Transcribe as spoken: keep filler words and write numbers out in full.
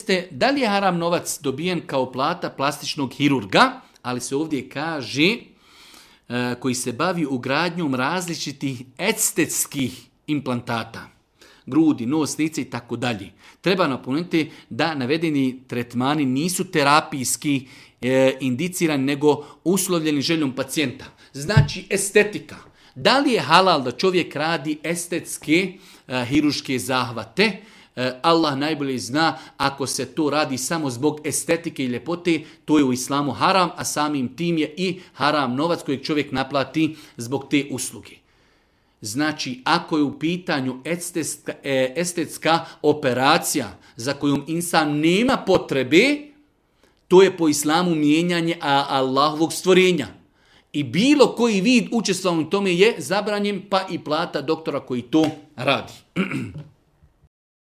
jeste da li je haram novac dobijen kao plata plastičnog hirurga, ali se ovdje kaže koji se bavi ugradnjom različitih estetskih implantata. Grudi, nos, lice i tako dalje. Treba napomenuti da navedeni tretmani nisu terapijski e, indicirani, nego uslovljeni željom pacijenta. Znači estetika. Da li je halal da čovjek radi estetske e, hiruške zahvate? E, Allah najbolje zna, ako se to radi samo zbog estetike i ljepote, to je u islamu haram, a samim tim je i haram novac kojeg čovjek naplati zbog te usluge. Znači, ako je u pitanju estetska, estetska operacija za kojom insan nema potrebe, to je po islamu mijenjanje Allahovog stvorenja. I bilo koji vid učestvovanja u tome je zabranjen, pa i plata doktora koji to radi.